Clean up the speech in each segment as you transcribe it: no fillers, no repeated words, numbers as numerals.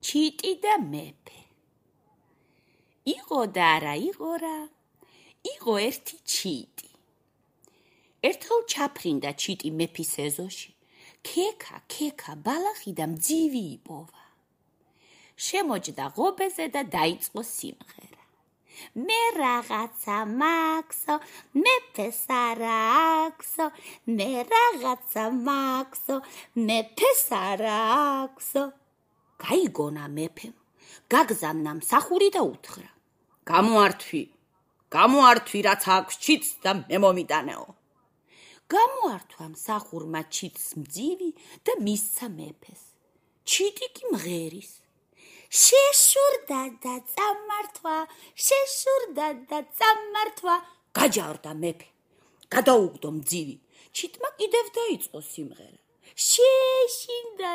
ჩიტი და მეფე. იყო და არა იყო რა, იყო ერთი ჩიტი. ერთხელ ჩაფრინდა ჩიტი მეფის ეზოში, ქექა ბალახი და მძივი იპოვა. შემოჯდა ღობეზე და დაიწყო სიმღერა. მე რაღაცა მაქსო, მეფეს არა აქვსო, მე რაღაცა მაქსო, მეფეს არა აქვსო. გაიგონა მეფემ, გაგზავნა მსახური და უთხრა. გამოართვი, რაც აქვს ჩიტს და მე მომიტანეო. გამოართვა მსახურმა ჩიტს მძივი და მისცა მეფეს. ჩიტი კი მღერის. შეშურდა და წამართვა, გაჯარდა მეფე. გადაუგდო მძივი. ჩიტმა კიდევ დაიწყო სიმღერა. შეშინდა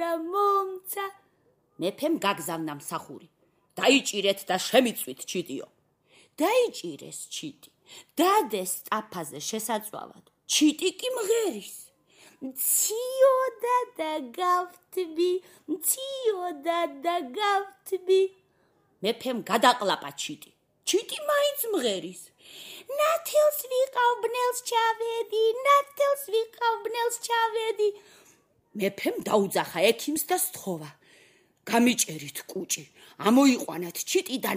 და მომცა. მეფემ გაგზავნა მსახური. დაიჭირეთ და შემიწვით ჩიტიო. დაიჭირეს ჩიტი. დადეს სწაფაზე შესაწვავად. ჩიტი კი მღერის. მციოდა და გავთბი. მეფემ გადაყლაპა ჩიტი. ჩიტი მაინც მღერის. ნათელს ვიყავ ბნელს ჩავედი. მეფემ დაუძახა ექიმს და სთხოვა. გამიჭერით კუჭი, ამოიყვანეთ ჩიტი და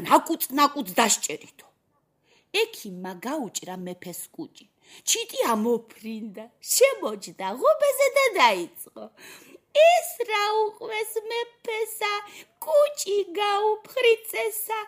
ნაკუწ დასჭერითო. ექიმმა გაუჭრა მეფეს კუჭი. ჩიტი ამოფრინდა, შემოჯდა ღობეზე და დაიწყო. ეს რა უყვეს მეფესა, კუჭი გაუფხრიწესა.